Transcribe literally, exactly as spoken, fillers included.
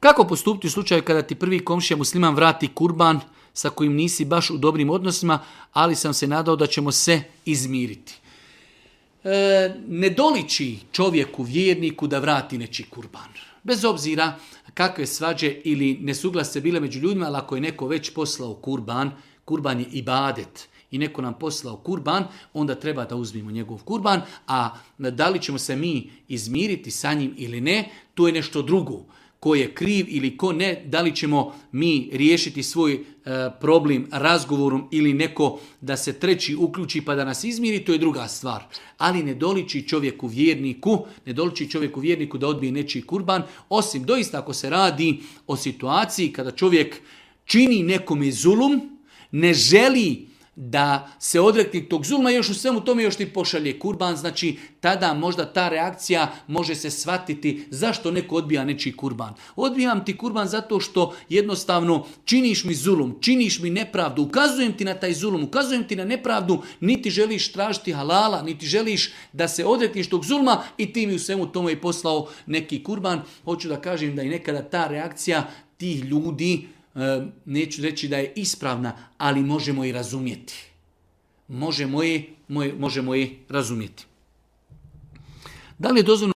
Kako postupiti u slučaju kada ti prvi komšija musliman vrati kurban sa kojim nisi baš u dobrim odnosima, ali sam se nadao da ćemo se izmiriti? E, ne doliči čovjeku, vjerniku da vrati nečiji kurban. Bez obzira kakve svađe ili nesuglasice bile među ljudima, ali ako je neko već poslao kurban, kurban je ibadet i neko nam poslao kurban, onda treba da uzmimo njegov kurban, a da li ćemo se mi izmiriti sa njim ili ne, to je nešto drugo. Ko je kriv ili ko ne, da li ćemo mi riješiti svoj e, problem razgovorom ili neko da se treći uključi pa da nas izmiri, to je druga stvar. Ali ne doliči čovjeku vjerniku, ne doliči čovjeku vjerniku da odbije nečiji kurban, osim doista ako se radi o situaciji kada čovjek čini nekome zulum, ne želi da se odrekne tog zulma, još u svemu tome još ti pošalje kurban, znači tada možda ta reakcija može se shvatiti zašto neko odbija nečiji kurban. Odbijam ti kurban zato što jednostavno činiš mi zulum, činiš mi nepravdu, ukazujem ti na taj zulum, ukazujem ti na nepravdu, niti želiš tražiti halala, niti želiš da se odrekneš tog zulma i ti mi u svemu tome i poslao neki kurban. Hoću da kažem da i nekada ta reakcija tih ljudi, neću reći da je ispravna, ali možemo i razumjeti. Možemo i, možemo i razumjeti. Da li je dozvoljeno